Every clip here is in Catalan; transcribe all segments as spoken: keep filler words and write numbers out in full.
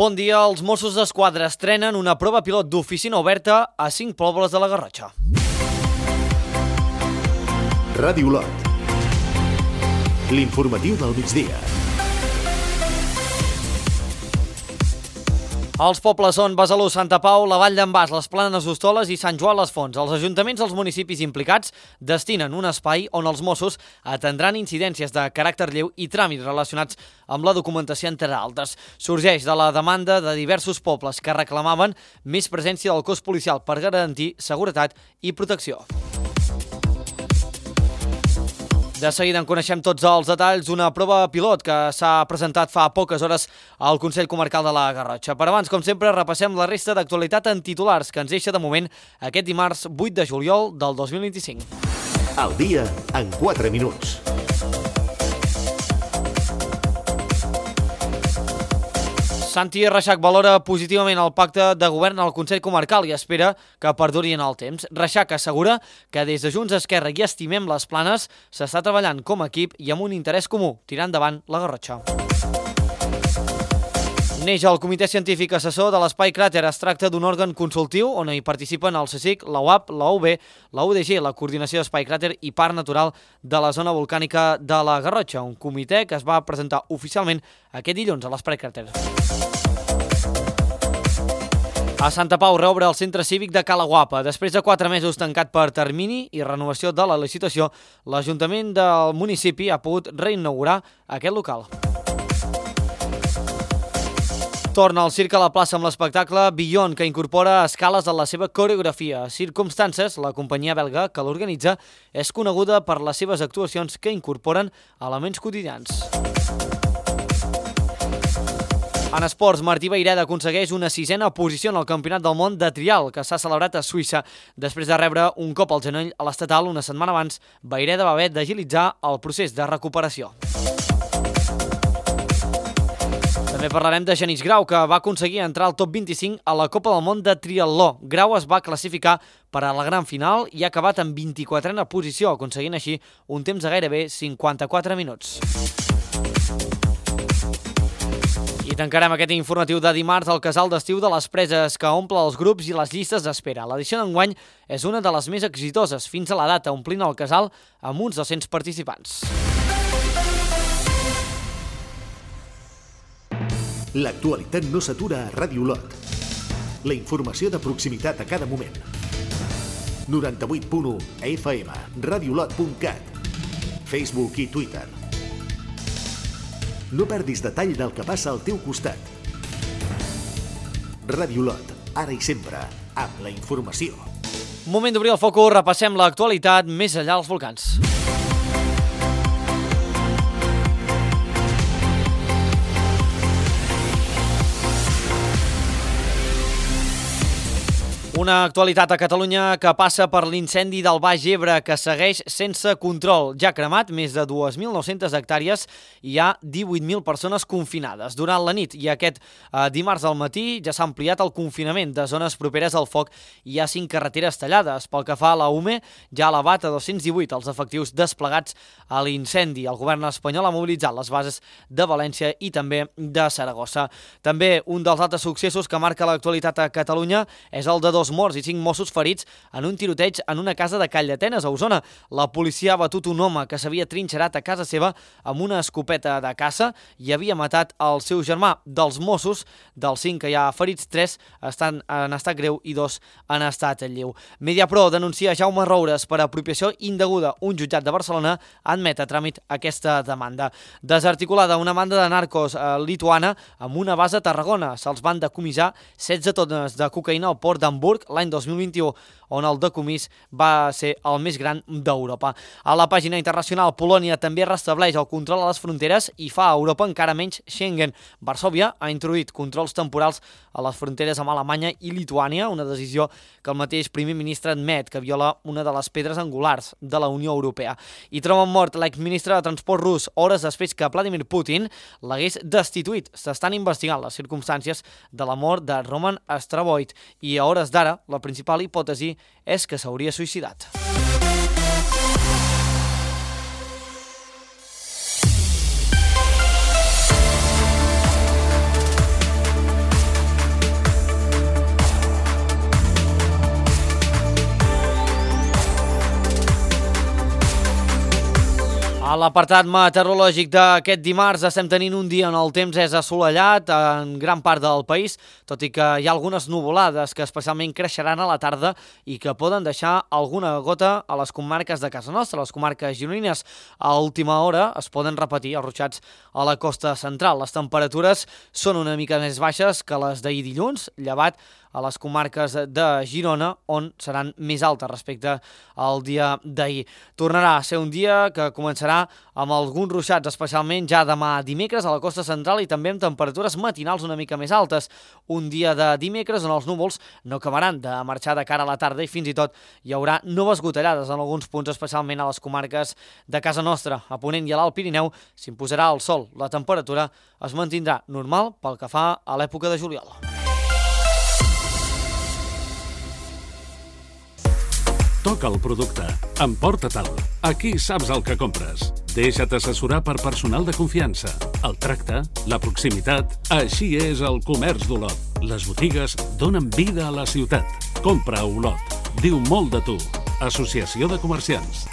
Bon dia, els Mossos d'Esquadra estrenen una prova pilot d'oficina oberta a cinc pobles de la Garrotxa. Ràdio Lot. L'informatiu del migdia. Els pobles són Besalú, Santa Pau, la Vall d'en Bas, les Planes d'Hostoles i Sant Joan les Fonts. Els ajuntaments dels municipis implicats destinen un espai on els Mossos atendran incidències de caràcter lleu i tràmits relacionats amb la documentació, entre altres. Sorgeix de la demanda de diversos pobles que reclamaven més presència del cos policial per garantir seguretat i protecció. De seguida en coneixem tots els detalls d'una prova pilot que s'ha presentat fa poques hores al Consell Comarcal de la Garrotxa. Per abans, com sempre, repassem la resta d'actualitat en titulars que ens deixa de moment aquest dimarts vuit de juliol del dos mil vint-i-cinc. El dia en quatre minuts. Santi Reixac valora positivament el pacte de govern al Consell Comarcal i espera que perduri en el temps. Reixac assegura que des de Junts Esquerra i Estimem les Planes s'està treballant com a equip i amb un interès comú, tirant endavant la Garrotxa. Neix el Comitè Científic Assessor de l'Espai Cràter. Es tracta d'un òrgan consultiu on hi participen el CSIC, la U A P, la U B, la U D G, la Coordinació d'Espai Cràter i Parc Natural de la Zona Volcànica de la Garrotxa, un comitè que es va presentar oficialment aquest dilluns a l'Espai Cràter. A Santa Pau reobre el centre cívic de Cala Guapa. Després de quatre mesos tancat per termini i renovació de la licitació, l'Ajuntament del municipi ha pogut reinaugurar aquest local. Torna al circ a la plaça amb l'espectacle Beyond, que incorpora escales a la seva coreografia. Circumstances, la companyia belga que l'organitza, és coneguda per les seves actuacions que incorporen elements quotidians. En esports, Martí Vayreda aconsegueix una sisena posició en el Campionat del Món de Trial, que s'ha celebrat a Suïssa. Després de rebre un cop al genoll a l'estatal una setmana abans, Vayreda va haver d'agilitzar el procés de recuperació. També parlarem de Genís Grau, que va aconseguir entrar al top vint-i-cinc a la Copa del Món de Triatló. Grau es va classificar per a la gran final i ha acabat en vint-i-quatrena posició, aconseguint així un temps de gairebé cinquanta-quatre minuts. I tancarem aquest informatiu de dimarts al casal d'estiu de les Preses, que omple els grups i les llistes d'espera. L'edició d'enguany és una de les més exitoses fins a la data, omplint el casal amb uns dos-cents participants. L'actualitat no s'atura a Ràdio Lot. La informació de proximitat a cada moment. noranta-vuit punt u F M, radiolot punt cat, Facebook i Twitter. No perdis detall del que passa al teu costat. Ràdio Lot, ara i sempre, amb la informació. Moment d'obrir el focus, repassem l'actualitat més enllà dels volcans. Una actualitat a Catalunya que passa per l'incendi del Baix Ebre, que segueix sense control. Ja ha cremat més de dues mil nou-centes hectàrees i hi ha divuit mil persones confinades. Durant la nit i aquest eh, dimarts al matí ja s'ha ampliat el confinament de zones properes al foc i hi ha cinc carreteres tallades. Pel que fa a la U M E, ja ha elevat a dos-cents divuit els efectius desplegats a l'incendi. El govern espanyol ha mobilitzat les bases de València i també de Saragossa. També un dels altres successos que marca l'actualitat a Catalunya és el de dos morts i cinc Mossos ferits en un tiroteig en una casa de Calldetenes, a Osona. La policia ha batut un home que s'havia trinxerat a casa seva amb una escopeta de caça i havia matat el seu germà. Dels Mossos, dels cinc que hi ha ferits, tres estan en estat greu i dos en estat lleu. Mediapro denuncia Jaume Roures per apropiació indeguda. Un jutjat de Barcelona admet a tràmit aquesta demanda. Desarticulada una banda de narcos eh, lituana amb una base a Tarragona. Se'ls van decomissar setze tones de cocaïna al port d'Hamburg l'any dos mil vint-i-u, on el decomís va ser el més gran d'Europa. A la pàgina internacional, Polònia també restableix el control a les fronteres i fa a Europa encara menys Schengen. Varsòvia ha introduït controls temporals a les fronteres amb Alemanya i Lituània, una decisió que el mateix primer ministre admet que viola una de les pedres angulars de la Unió Europea. I troben mort l'exministre de Transport rus hores després que Vladimir Putin l'hagués destituït. S'estan investigant les circumstàncies de la mort de Roman Astraboid i a hores d'ara la principal hipòtesi és que s'hauria suïcidat. l'apartat meteorològic d'aquest dimarts estem tenint un dia on el temps és assolellat en gran part del país, tot i que hi ha algunes nuvolades que especialment creixeran a la tarda i que poden deixar alguna gota a les comarques de casa nostra, les comarques gironines. A última hora es poden repetir els ruixats a la costa central. Les temperatures són una mica més baixes que les d'ahir dilluns, llevat a les comarques de Girona, on seran més altes respecte al dia d'ahir. Tornarà a ser un dia que començarà amb alguns ruixats, especialment ja demà dimecres a la costa central i també amb temperatures matinals una mica més altes. Un dia de dimecres on els núvols no acabaran de marxar de cara a la tarda i fins i tot hi haurà noves gotellades en alguns punts, especialment a les comarques de casa nostra. A Ponent i a l'Alt Pirineu s'imposarà el sol. La temperatura es mantindrà normal pel que fa a l'època de juliol. Toca el producte. Emporta-te'l. Aquí saps el que compres. Deixa't assessorar per personal de confiança. El tracte, la proximitat... Així és el comerç d'Olot. Les botigues donen vida a la ciutat. Compra a Olot. Diu molt de tu. Associació de Comerciants.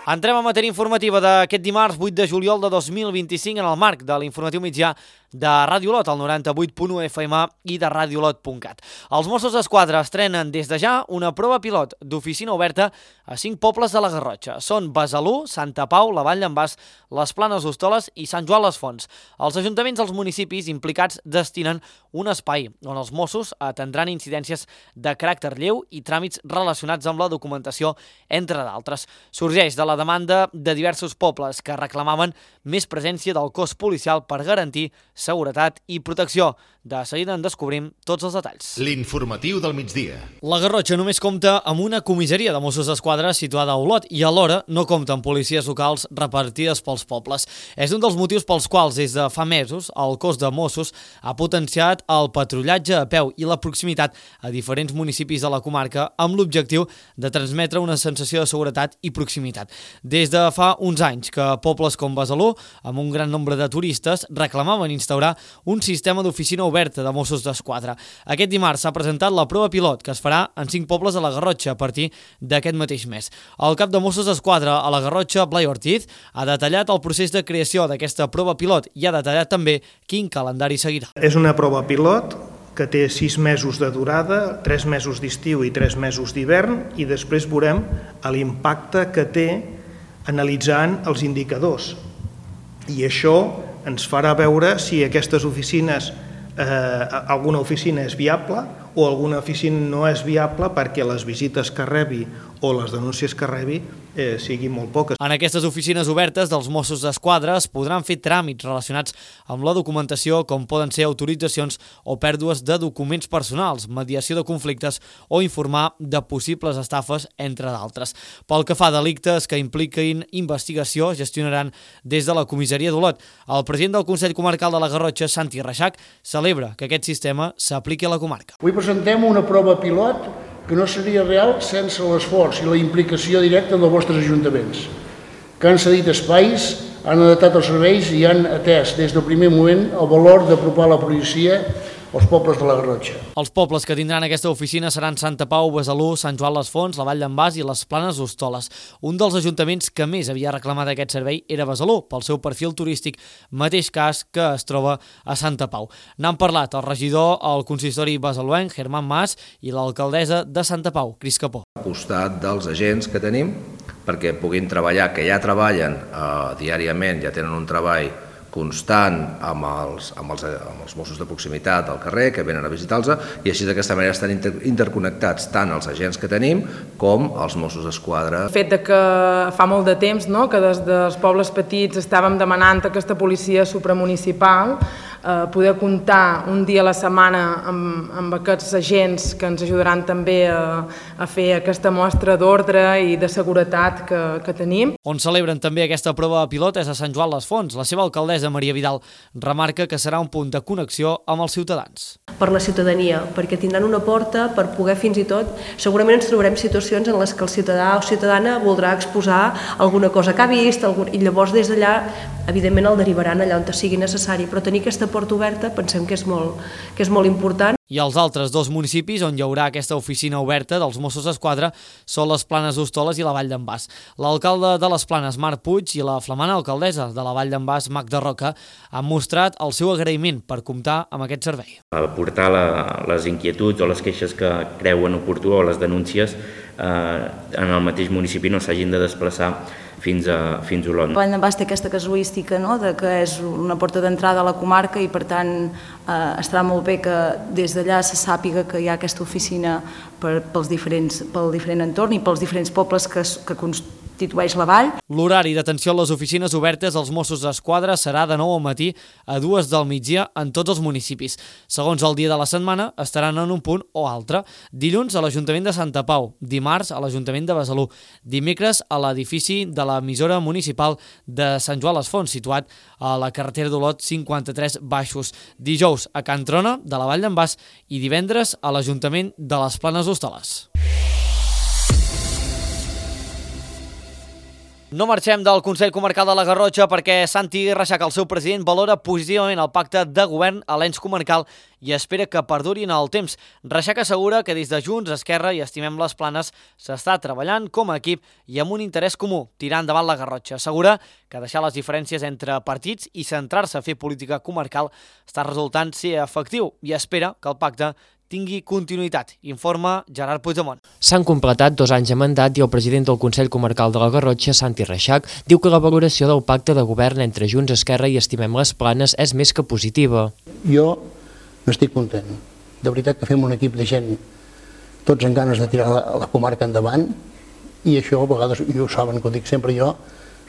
Entrem a matèria informativa d'aquest dimarts vuit de juliol de dos mil vint-i-cinc en el marc de l'informatiu mitjà de Ràdio Olot, al noranta-vuit punt u F M i de radiolot punt cat. Els Mossos d'Esquadra estrenen des de ja una prova pilot d'oficina oberta a cinc pobles de la Garrotxa. Són Besalú, Santa Pau, la Vall d'en Bas, les Planes d'Hostoles i Sant Joan les Fonts. Els ajuntaments dels municipis implicats destinen un espai on els Mossos atendran incidències de caràcter lleu i tràmits relacionats amb la documentació, entre d'altres. Sorgeix de la demanda de diversos pobles que reclamaven més presència del cos policial per garantir seguretat i protecció. De seguida en descobrim tots els detalls. L'informatiu del migdia. La Garrotxa només compta amb una comissaria de Mossos d'Esquadra situada a Olot i alhora no compta amb policies locals repartides pels pobles. És un dels motius pels quals des de fa mesos el cos de Mossos ha potenciat el patrullatge a peu i la proximitat a diferents municipis de la comarca amb l'objectiu de transmetre una sensació de seguretat i proximitat. Des de fa uns anys que pobles com Besalú, amb un gran nombre de turistes, reclamaven instaurar un sistema d'oficina oberta de Mossos d'Esquadra. Aquest dimarts s'ha presentat la prova pilot que es farà en cinc pobles de la Garrotxa a partir d'aquest mateix mes. El cap de Mossos d'Esquadra a la Garrotxa, Blai Ortiz, ha detallat el procés de creació d'aquesta prova pilot i ha detallat també quin calendari seguirà. És una prova pilot que té sis mesos de durada, tres mesos d'estiu i tres mesos d'hivern, i després veurem l'impacte que té analitzant els indicadors. I això ens farà veure si aquestes oficines, eh, alguna oficina és viable o alguna oficina no és viable perquè les visites que rebi o les denúncies que rebi eh, siguin molt poques. En aquestes oficines obertes dels Mossos d'Esquadra es podran fer tràmits relacionats amb la documentació, com poden ser autoritzacions o pèrdues de documents personals, mediació de conflictes o informar de possibles estafes, entre d'altres. Pel que fa a delictes que impliquin investigació, gestionaran des de la comissaria d'Olot. El president del Consell Comarcal de la Garrotxa, Santi Reixac, celebra que aquest sistema s'apliqui a la comarca. Avui presentem una prova pilot que no seria real sense l'esforç i la implicació directa dels vostres ajuntaments, que han cedit espais, han adaptat els serveis i han atès des del primer moment el valor d'apropar la policia als pobles de la Garrotxa. Els pobles que tindran aquesta oficina seran Santa Pau, Besalú, Sant Joan les Fonts, la Vall d'en Bas i les Planes d'Hostoles. Un dels ajuntaments que més havia reclamat aquest servei era Besalú, pel seu perfil turístic, mateix cas que es troba a Santa Pau. N'han parlat el regidor al consistori besaluenc, Germán Mas, i l'alcaldessa de Santa Pau, Cris Capó. Al costat dels agents que tenim, perquè puguin treballar, que ja treballen eh, diàriament, ja tenen un treball constant amb els, amb, els, amb els Mossos de proximitat al carrer, que venen a visitar-los, i així d'aquesta manera estan inter, interconnectats tant els agents que tenim com els Mossos d'Esquadra. El fet de que fa molt de temps, no?, que des dels pobles petits estàvem demanant aquesta policia supramunicipal, eh, poder comptar un dia a la setmana amb, amb aquests agents que ens ajudaran també a, a fer aquesta mostra d'ordre i de seguretat que, que tenim. On celebren també aquesta prova pilot és a Sant Joan les Fonts. La seva alcaldessa, Maria Vidal, remarca que serà un punt de connexió amb els ciutadans. Per la ciutadania, perquè tindran una porta per poder fins i tot, segurament ens trobarem situacions en les que el ciutadà o ciutadana voldrà exposar alguna cosa que ha vist, algun, i llavors des d'allà, evidentment el derivaran allà on sigui necessari, però tenir aquesta porta oberta pensem que és molt, que és molt important. I els altres dos municipis on hi haurà aquesta oficina oberta dels Mossos d'Esquadra són les Planes d'Hostoles i la Vall d'en Bas. L'alcalde de les Planes, Marc Puig, i la flamant alcaldessa de la Vall d'en Bas, Magda Roca, han mostrat el seu agraïment per comptar amb aquest servei. Aportar la, les inquietuds o les queixes que creuen oportú o les denúncies eh, en el mateix municipi no s'hagin de desplaçar fins a, fins a Olot. Vall d'en Bas té aquesta casuística, no?, de que és una porta d'entrada a la comarca i per tant eh, estarà molt bé que des d'allà se sàpiga que hi ha aquesta oficina per, pels diferents, pel diferent entorn i pels diferents pobles que, que constitueix la vall. L'horari d'atenció a les oficines obertes als Mossos d'Esquadra serà de nou al matí a dues del migdia en tots els municipis. Segons el dia de la setmana, estaran en un punt o altre. Dilluns a l'Ajuntament de Santa Pau, dimarts a l'Ajuntament de Besalú, dimecres a l'edifici de l'emissora municipal de Sant Joan les Fonts, situat a la carretera d'Olot cinquanta-tres Baixos, dijous a Can Trona, de la Vall d'en Bas, i divendres a l'Ajuntament de les Planes d'Hostoles. No marxem del Consell Comarcal de la Garrotxa perquè Santi Reixac, el seu president, valora positivament el pacte de govern a l'ens comarcal i espera que perduri en el temps. Reixac assegura que des de Junts, Esquerra i Estimem les Planes s'està treballant com a equip i amb un interès comú, tirar endavant la Garrotxa. Assegura que deixar les diferències entre partits i centrar-se a fer política comarcal està resultant ser efectiu i espera que el pacte tingui continuïtat, informa Gerard Puigdemont. S'han completat dos anys de mandat i el president del Consell Comarcal de la Garrotxa, Santi Reixac, diu que la valoració del pacte de govern entre Junts, Esquerra i Estimem les Planes és més que positiva. Jo n'estic content. De veritat que fem un equip de gent tots amb ganes de tirar la, la comarca endavant i això a vegades, i ho saben que ho dic sempre jo,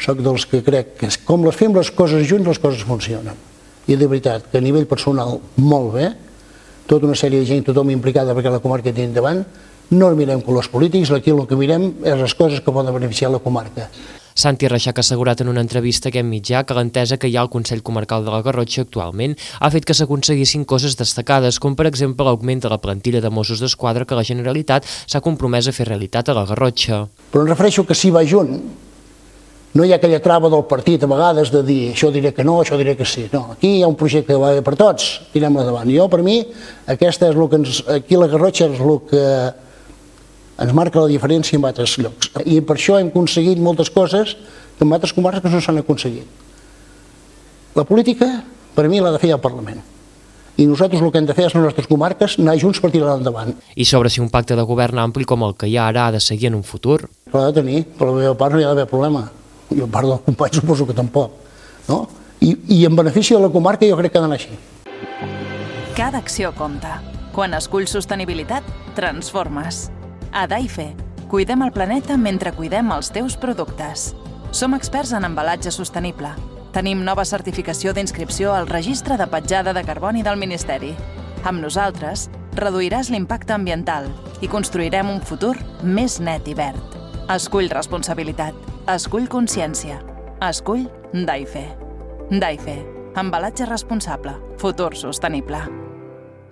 soc dels que crec que com les fem les coses junts les coses funcionen. I de veritat que a nivell personal molt bé, tota una sèrie de gent, tothom implicada perquè la comarca tiri endavant, no mirem colors polítics, aquí el que mirem és les coses que poden beneficiar la comarca. Santi Reixac ha assegurat en una entrevista a aquest mitjà que l'entesa que hi ha al Consell Comarcal de la Garrotxa actualment ha fet que s'aconseguissin coses destacades, com per exemple l'augment de la plantilla de Mossos d'Esquadra que la Generalitat s'ha compromès a fer realitat a la Garrotxa. Però em refereixo que si va junt, no hi ha aquella trava del partit a vegades de dir això diré que no, això diré que sí. No, aquí hi ha un projecte que va bé per tots, tirem-lo endavant. Jo, per mi, aquesta és el que ens, aquí la Garrotxa és el que ens marca la diferència en altres llocs. I per això hem aconseguit moltes coses que en altres comarques no s'han aconseguit. La política, per mi, l'ha de fer el Parlament. I nosaltres el que hem de fer és les nostres comarques anar junts per tirar endavant. I sobre si un pacte de govern ampli com el que hi ha ara ha de seguir en un futur? L'ha de tenir, per la meva part no hi ha d'haver problema. I a part del company suposo que tampoc. No? I, I en benefici de la comarca jo crec que ha d'anar així. Cada acció compta. Quan esculls sostenibilitat, transformes. A Daife, cuidem el planeta mentre cuidem els teus productes. Som experts en embalatge sostenible. Tenim nova certificació d'inscripció al Registre de Petjada de Carboni del Ministeri. Amb nosaltres, reduiràs l'impacte ambiental i construirem un futur més net i verd. Escull responsabilitat. Escull consciència. Escull Daife. Daife. Embalatge responsable. Futur sostenible.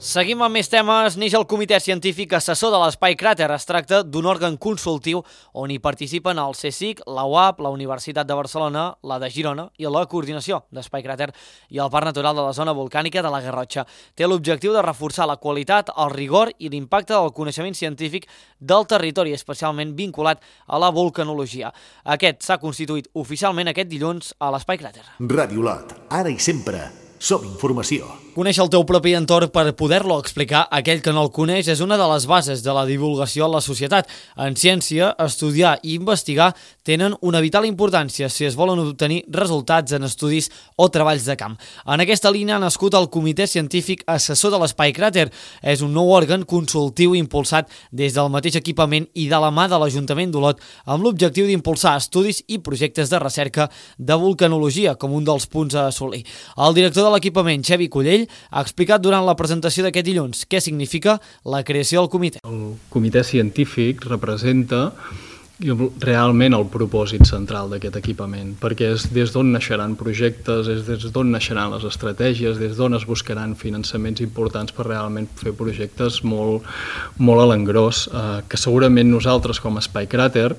Seguim amb més temes. Neix el Comitè Científic Assessor de l'Espai Cràter. Es tracta d'un òrgan consultiu on hi participen el CSIC, la U A P, la Universitat de Barcelona, la de Girona i la Coordinació d'Espai Cràter i el Parc Natural de la Zona Volcànica de la Garrotxa. Té l'objectiu de reforçar la qualitat, el rigor i l'impacte del coneixement científic del territori, especialment vinculat a la volcanologia. Aquest s'ha constituït oficialment aquest dilluns a l'Espai Cràter. Ràdio Olot, ara i sempre, som informació. Conèixer el teu propi entorn per poder-lo explicar a aquell que no el coneix és una de les bases de la divulgació a la societat. En ciència, estudiar i investigar tenen una vital importància si es volen obtenir resultats en estudis o treballs de camp. En aquesta línia ha nascut el Comitè Científic Assessor de l'Espai Cràter. És un nou òrgan consultiu impulsat des del mateix equipament i de la mà de l'Ajuntament d'Olot amb l'objectiu d'impulsar estudis i projectes de recerca de volcanologia com un dels punts a assolir. El director de l'equipament, Xavi Collell, ha explicat durant la presentació d'aquest dilluns què significa la creació del comitè. El comitè científic representa realment el propòsit central d'aquest equipament, perquè és des d'on naixeran projectes, és des d'on naixeran les estratègies, des d'on es buscaran finançaments importants per realment fer projectes molt, molt a l'engròs, eh, que segurament nosaltres com a Espai Cràter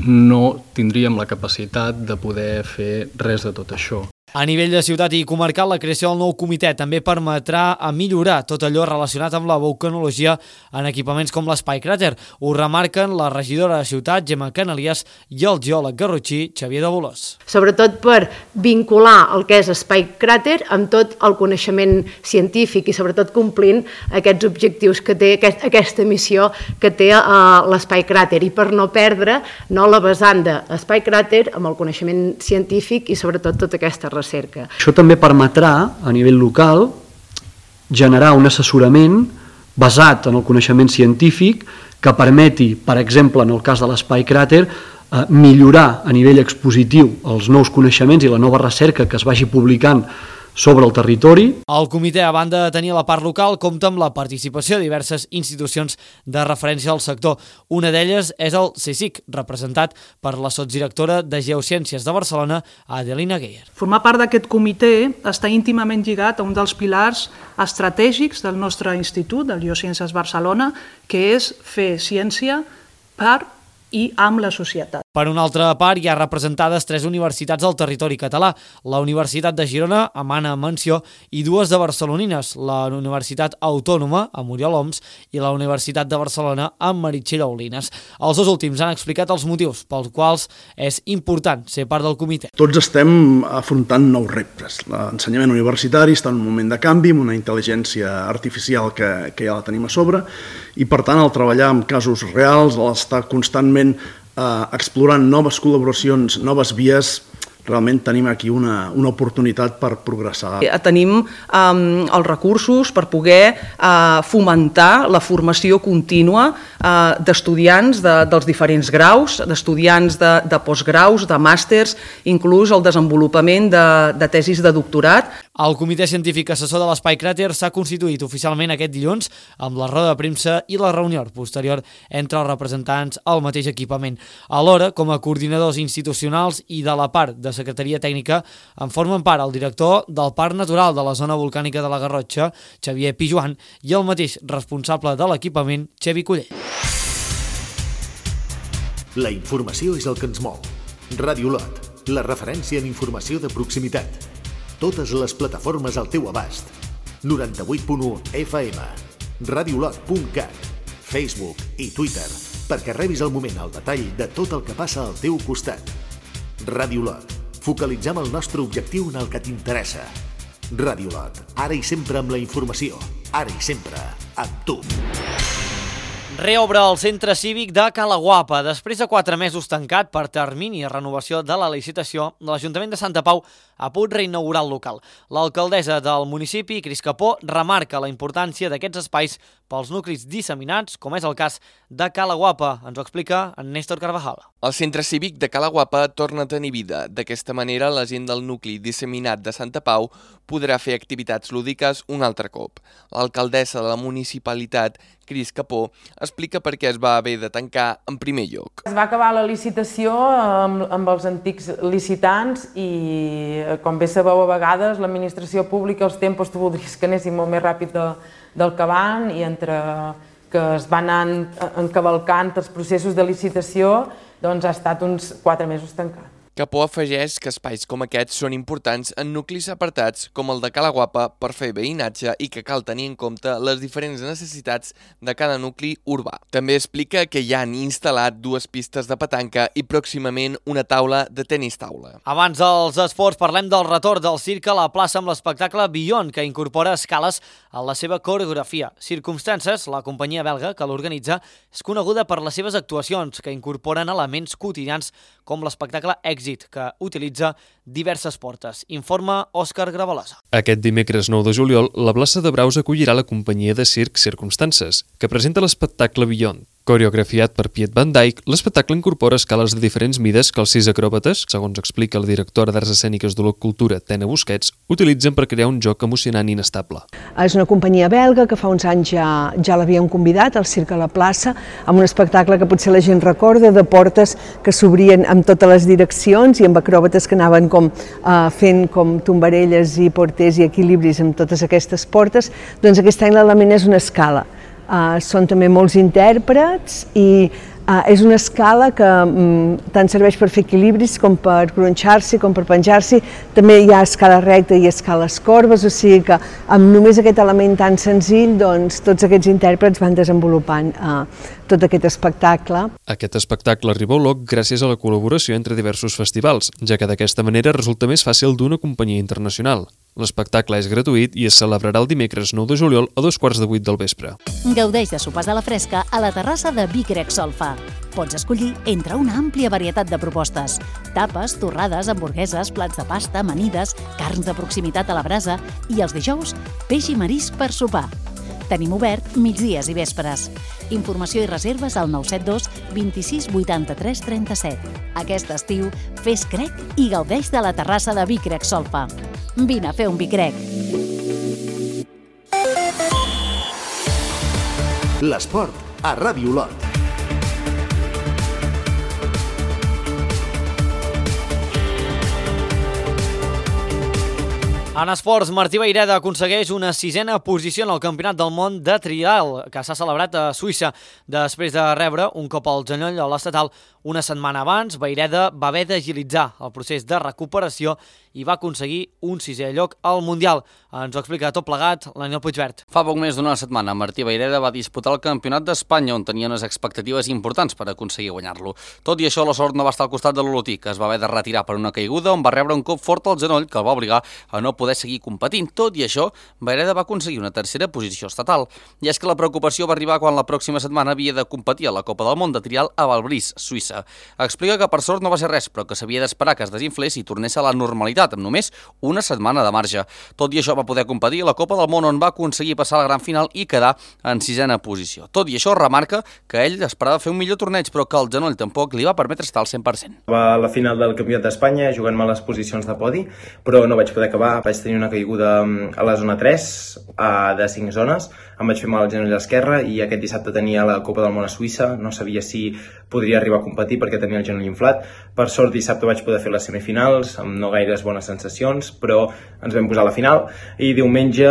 no tindríem la capacitat de poder fer res de tot això. A nivell de ciutat i comarcal, la creació del nou comitè també permetrà a millorar tot allò relacionat amb la vulcanologia en equipaments com l'Espai Cràter. Ho remarquen la regidora de ciutat, Gemma Canalies, i el geòleg garrotxí, Xavier de Bolós. Sobretot per vincular el que és Espai Cràter amb tot el coneixement científic i sobretot complint aquests objectius que té, aquesta missió que té l'Espai Cràter, i per no perdre la vessant d'Espai Cràter amb el coneixement científic i sobretot tota aquesta recerca. Això també permetrà, a nivell local, generar un assessorament basat en el coneixement científic que permeti, per exemple, en el cas de l'Espai Cràter, millorar a nivell expositiu els nous coneixements i la nova recerca que es vagi publicant sobre el territori. El comitè, a banda de tenir la part local, compta amb la participació de diverses institucions de referència al sector. Una d'elles és el CSIC, representat per la sotsdirectora de Geociències de Barcelona, Adelina Geyer. Formar part d'aquest comitè està íntimament lligat a un dels pilars estratègics del nostre institut, del Geociències Barcelona, que és fer ciència per i amb la societat. Per una altra part, hi ha representades tres universitats del territori català, la Universitat de Girona, amb Anna Menció, i dues de barcelonines, la Universitat Autònoma, amb Oriol Oms, i la Universitat de Barcelona, amb Meritxell Aulines. Els dos últims han explicat els motius pels quals és important ser part del comitè. Tots estem afrontant nous reptes. L'ensenyament universitari està en un moment de canvi, amb una intel·ligència artificial que, que ja la tenim a sobre, i per tant, al treballar en casos reals, l'estar constantment Uh, explorant noves col·laboracions, noves vies, realment tenim aquí una, una oportunitat per progressar. Tenim um, els recursos per poder uh, fomentar la formació contínua uh, d'estudiants de, dels diferents graus, d'estudiants de, de postgraus, de màsters, inclús el desenvolupament de, de tesis de doctorat. El Comitè Científic Assessor de l'Espai Cràter s'ha constituït oficialment aquest dilluns amb la roda de premsa i la reunió posterior entre els representants al mateix equipament. Alhora, com a coordinadors institucionals i de la part de Secretaria Tècnica, en formen part el director del Parc Natural de la Zona Volcànica de la Garrotxa, Xavier Pijuan, i el mateix responsable de l'equipament, Xevi Collell. La informació és el que ens mou. Ràdio Lot, la referència en informació de proximitat. Totes les plataformes al teu abast. noranta-vuit punt u F M, radiolot punt cat, Facebook i Twitter, perquè rebis al moment el detall de tot el que passa al teu costat. Ràdio Lot, focalitzem el nostre objectiu en el que t'interessa. Ràdio Lot, ara i sempre amb la informació, ara i sempre amb tu. Reobre el centre cívic de Cala Guapa. Després de quatre mesos tancat per termini de renovació de la licitació, l'Ajuntament de Santa Pau ha pogut reinaugurar el local. L'alcaldessa del municipi, Cris Capó, remarca la importància d'aquests espais pels nuclis disseminats, com és el cas de Cala Guapa. Ens ho explica en Néstor Carvajal. El centre cívic de Cala Guapa torna a tenir vida. D'aquesta manera, la gent del nucli disseminat de Santa Pau podrà fer activitats lúdiques un altre cop. L'alcaldessa de la municipalitat, Cris Capó, explica per què es va haver de tancar en primer lloc. Es va acabar la licitació amb, amb els antics licitants i, com bé sabeu, a vegades l'administració pública, els tempos tu voldries que anessin molt més ràpid de, del que van, i entre que es van anar encavalcant els processos de licitació, doncs ha estat uns quatre mesos tancat. Capó afegeix que espais com aquests són importants en nuclis apartats com el de Cala Guapa per fer veïnatge i que cal tenir en compte les diferents necessitats de cada nucli urbà. També explica que ja han instal·lat dues pistes de petanca i pròximament una taula de tenis taula. Abans dels esports, parlem del retorn del circ a la plaça amb l'espectacle Beyond, que incorpora escales a la seva coreografia. Circumstances, la companyia belga que l'organitza, és coneguda per les seves actuacions, que incorporen elements quotidians com l'espectacle Èxit, que utilitza diverses portes. Informa Òscar Gravalosa. Aquest dimecres nou de juliol, la plaça de Braus acollirà la companyia de circ Circumstances, que presenta l'espectacle Beyond. Coreografiat per Piet Van Dijk, l'espectacle incorpora escales de diferents mides que els sis acròbates, segons explica la directora d'Arts Escèniques de la Cultura, Tena Busquets, utilitzen per crear un joc emocionant i inestable. És una companyia belga que fa uns anys ja, ja l'havíem convidat al Circ a la plaça, amb un espectacle que potser la gent recorda, de portes que s'obrien amb totes les direccions i amb acròbates que anaven com, uh, fent com tombarelles i porters i equilibris amb totes aquestes portes. Doncs aquest any l'element és una escala. Uh, són també molts intèrprets i Uh, és una escala que um, tant serveix per fer equilibris com per gronxar-s'hi, com per penjar-s'hi. També hi ha escala recta i escales corbes, o sigui que amb només aquest element tan senzill, doncs, tots aquests intèrprets van desenvolupant uh, tot aquest espectacle. Aquest espectacle arriba a Olot gràcies a la col·laboració entre diversos festivals, ja que d'aquesta manera resulta més fàcil d'una companyia internacional. L'espectacle és gratuït i es celebrarà el dimecres nou de juliol a dos quarts de vuit del vespre. Gaudeix de sopars a la fresca a la terrassa de Vic Grec Solfa. Pots escollir entre una àmplia varietat de propostes. Tapes, torrades, hamburgueses, plats de pasta, amanides, carns de proximitat a la brasa i els dijous, peix i marisc per sopar. Tenim obert migdies i vespres. Informació i reserves al nou set dos vint-i-sis vuitanta-tres trenta-set. Aquest estiu, fes crec i gaudeix de la terrassa de Vic Grec Solfa. Vine a fer un Vic Grec. L'esport a Ràdio Olot. En esports, Martí Vayreda aconsegueix una sisena posició en el Campionat del Món de Trial, que s'ha celebrat a Suïssa. Després de rebre un cop al genoll a l'estatal una setmana abans, Vayreda va haver d'agilitzar el procés de recuperació i va aconseguir un sisè lloc al Mundial. Ens ho explica tot plegat l'Aniel Puigvert. Fa poc més d'una setmana, Martí Vayreda va disputar el Campionat d'Espanya, on tenia unes expectatives importants per aconseguir guanyar-lo. Tot i això, la sort no va estar al costat de l'olotí, que es va haver de retirar per una caiguda on va rebre un cop fort al genoll que el va obligar a no poder seguir competint. Tot i això, Vayreda va aconseguir una tercera posició estatal. I és que la preocupació va arribar quan la pròxima setmana havia de competir a la Copa del Món de Trial a Valbrís, Suïssa. Explica que per sort no va ser res, però que s'havia d'esperar que es desinflés i tornés a la normalitat, amb només una setmana de marge. Tot i això va poder competir a la Copa del Món, on va aconseguir passar a la gran final i quedar en sisena posició. Tot i això, remarca que ell esperava fer un millor torneig, però que el genoll tampoc li va permetre estar al cent per cent. Va a la final del Campionat d'Espanya jugant-me a les posicions de podi, però no vaig poder acabar. Vaig tenir una caiguda a la zona tres, de cinc zones, em vaig fer mal al genoll esquerre i aquest dissabte tenia la Copa del Món a Suïssa, no sabia si podria arribar a competir perquè tenia el genoll inflat. Per sort, dissabte vaig poder fer les semifinals, amb no gaires bones sensacions, però ens vam posar a la final i diumenge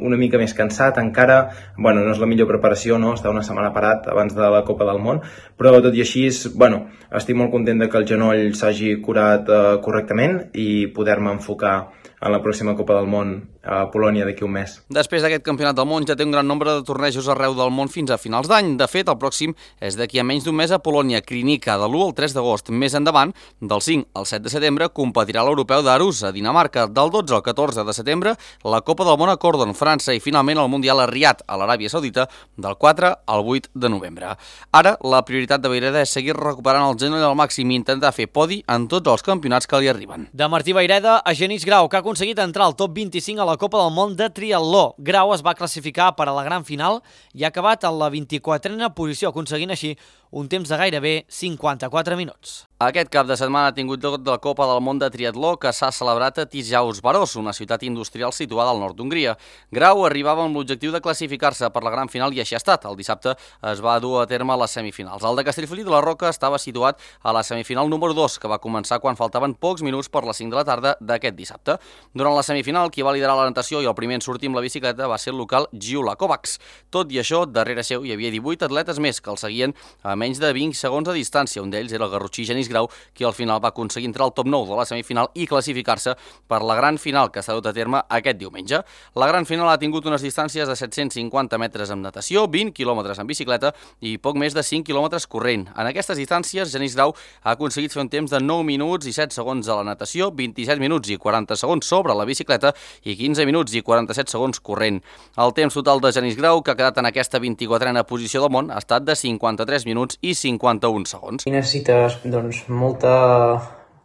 una mica més cansat encara. Bueno, no és la millor preparació, no? Estar una setmana parat abans de la Copa del Món, però tot i així, bueno, estic molt content de que el genoll s'hagi curat eh, correctament i poder-me enfocar en la pròxima Copa del Món a Polònia d'aquí un mes. Després d'aquest Campionat del Món ja té un gran nombre de tornejos arreu del món fins a finals d'any. De fet, el pròxim és d'aquí a menys d'un mes a Polònia, Krynica, de l'u al tres d'agost. Més endavant, del cinc al set de setembre, competirà l'Europeu d'Arus, a Dinamarca. Del dotze al catorze de setembre, la Copa del Món a Cordon, França, i finalment el Mundial a Riad, a l'Aràbia Saudita, del quatre al vuit de novembre. Ara, la prioritat de Vayreda és seguir recuperant el genoll al màxim i intentar fer podi en tots els campionats que li arriben. De Martí Vayreda a Genís Grau, que ha aconseguit entrar al top vint-i-cinc a la Copa del Món de Triatló. Grau es va classificar per a la gran final i ha acabat en la vint-i-quatrena posició, aconseguint així un temps de gairebé cinquanta-quatre minuts. Aquest cap de setmana ha tingut lloc de la Copa del Món de Triatló, que s'ha celebrat a Tijaus-Baros, una ciutat industrial situada al nord d'Hongria. Grau arribava amb l'objectiu de classificar-se per la gran final i així ha estat. El dissabte es va dur a terme a les semifinals. El de Castellfollit de la Roca estava situat a la semifinal número dos, que va començar quan faltaven pocs minuts per les cinc de la tarda d'aquest dissabte. Durant la semifinal, qui va liderar la natació i el primer en sortir amb la bicicleta va ser el local Gyula Kovacs. Tot i això, darrere seu hi havia divuit atletes més que el seguien a menys de vint segons de distància. Un d'ells era el garrotxí Genís Grau, qui al final va aconseguir entrar al top nou de la semifinal i classificar-se per la gran final que s'ha dut a terme aquest diumenge. La gran final ha tingut unes distàncies de set-cents cinquanta metres amb natació, vint quilòmetres en bicicleta i poc més de cinc quilòmetres corrent. En aquestes distàncies, Genís Grau ha aconseguit fer un temps de nou minuts i set segons a la natació, vint-i-set minuts i quaranta segons sobre la bicicleta i quinze minuts i quaranta-set segons corrent. El temps total de Genís Grau, que ha quedat en aquesta vint-i-quatrena posició del món, ha estat de cinquanta-tres minuts i cinquanta-un segons. I necessites, doncs, molta,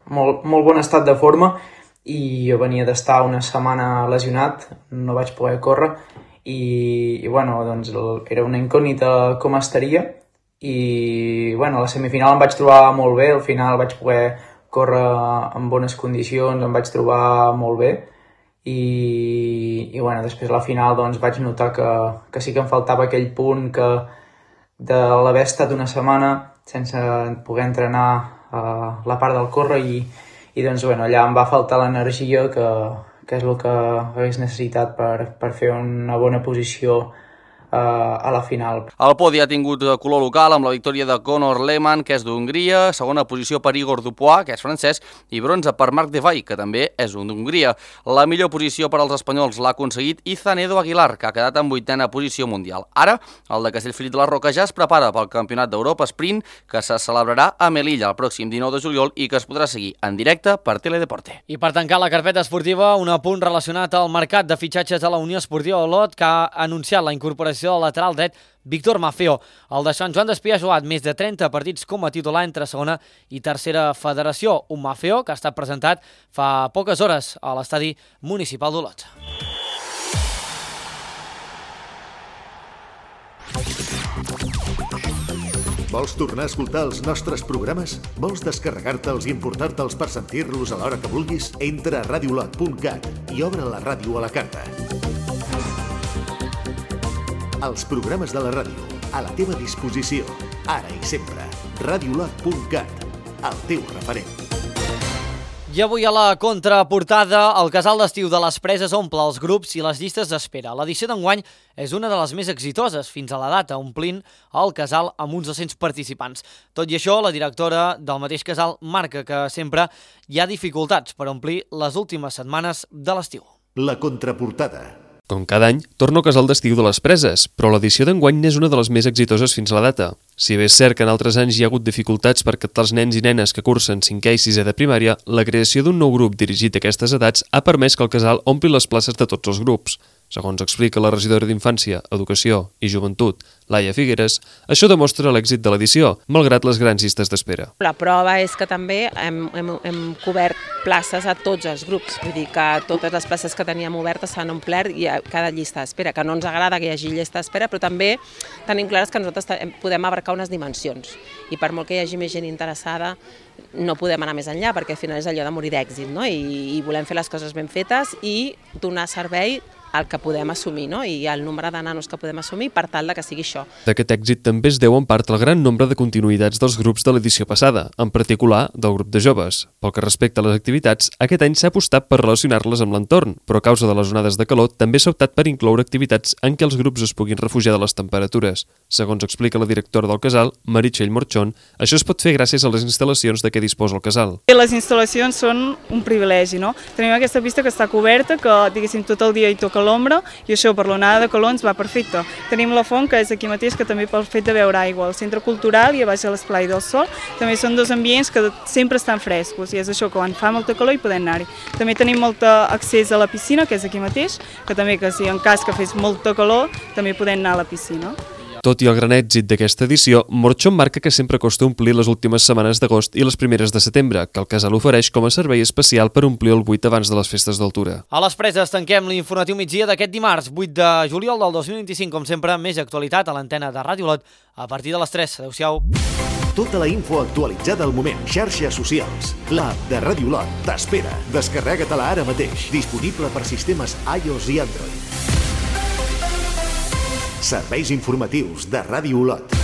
molt, molt bon estat de forma i jo venia d'estar una setmana lesionat, no vaig poder córrer i, i bueno, doncs era una incògnita com estaria i bueno, a la semifinal em vaig trobar molt bé, al final vaig poder córrer en bones condicions, em vaig trobar molt bé i, i bueno, després a la final doncs vaig notar que, que sí que em faltava aquell punt que de l'haver estat una setmana sense poder entrenar uh, la part del córrer i, i doncs, bueno, allà em va faltar l'energia que, que és el que hagués necessitat per, per fer una bona posició a la final. El podi ha tingut color local amb la victòria de Conor Lehmann, que és d'Hongria, segona posició per Igor Dupois, que és francès, i bronze per Marc Devay, que també és d'Hongria. La millor posició per als espanyols l'ha aconseguit Izan Edo Aguilar, que ha quedat en vuitena posició mundial. Ara, el de Castellfollit de la Roca ja es prepara pel Campionat d'Europa Sprint, que se celebrarà a Melilla el pròxim dinou de juliol i que es podrà seguir en directe per Teledeporte. I per tancar la carpeta esportiva, un apunt relacionat al mercat de fitxatges de la Unió Esportiva Olot, que ha anunciat la incorporació del lateral dret Víctor Maffeo. El de Sant Joan d'Espí ha jugat més de trenta partits com a titular entre segona i tercera federació. Un Maffeo que ha estat presentat fa poques hores a l'estadi municipal d'Olot. Vols tornar a escoltar els nostres programes? Vols descarregar-te'ls i importar-te'ls per sentir-los a l'hora que vulguis? Entra a radiolot punt cat i obre la ràdio a la carta. Els programes de la ràdio, a la teva disposició, ara i sempre. radiolot punt cat, el teu referent. I avui a la contraportada, el casal d'estiu de les Preses omple els grups i les llistes d'espera. L'edició d'enguany és una de les més exitoses fins a la data, omplint el casal amb uns dos-cents participants. Tot i això, la directora del mateix casal marca que sempre hi ha dificultats per omplir les últimes setmanes de l'estiu. La contraportada. Com cada any, torna al casal d'estiu de les Preses, però l'edició d'enguany n'és una de les més exitoses fins a la data. Si bé és cert que en altres anys hi ha hagut dificultats per captar els nens i nenes que cursen cinquè i sisè de primària, la creació d'un nou grup dirigit a aquestes edats ha permès que el casal ompli les places de tots els grups. Segons explica la regidora d'Infància, Educació i Joventut, Laia Figueres, això demostra l'èxit de l'edició, malgrat les grans llistes d'espera. La prova és que també hem, hem, hem cobert places a tots els grups, vull dir que totes les places que teníem obertes s'han omplert i a cada llista d'espera, que no ens agrada que hi hagi llista d'espera, però també tenim clares que nosaltres podem abarcar unes dimensions i per molt que hi hagi més gent interessada no podem anar més enllà perquè al final és allò de morir d'èxit, no? I, i volem fer les coses ben fetes i donar servei el que podem assumir, no? I el nombre de nanos que podem assumir per tal de que sigui això. D'aquest èxit també es deu en part al gran nombre de continuïtats dels grups de l'edició passada, en particular del grup de joves. Pel que respecta a les activitats, aquest any s'ha apostat per relacionar-les amb l'entorn, però a causa de les onades de calor també s'ha optat per incloure activitats en què els grups es puguin refugiar de les temperatures. Segons explica la directora del casal, Meritxell Morchón, això es pot fer gràcies a les instal·lacions de què disposa el casal. Les instal·lacions són un privilegi, no? Tenim aquesta pista que està coberta, que diguéssim tot el dia hi toca a l'ombra i això per l'onada de calor ens va perfecte. Tenim la font, que és aquí mateix, que també pel fet de beure aigua. El centre cultural i a baix a l'esplai del Sol també són dos ambients que sempre estan frescos i és això, que quan fa molta calor hi podem anar-hi. També tenim molt accés a la piscina, que és aquí mateix, que també que si en cas que fes molta calor també podem anar a la piscina. Tot i el gran èxit d'aquesta edició, Morchón marca que sempre costa omplir les últimes setmanes d'agost i les primeres de setembre, que el casal ofereix com a servei especial per omplir el buit abans de les festes d'altura. A les Preses tanquem l'informatiu migdia d'aquest dimarts, vuit de juliol del dos mil vint-i-cinc, com sempre, més actualitat a l'antena de Ràdio Olot a partir de les tres. Adéu-siau. Tota la info actualitzada al moment. Xarxes socials. L'app de Ràdio Olot t'espera. Descarrega-te-la ara mateix. Disponible per sistemes iOS i Android. Serveis informatius de Ràdio Olot.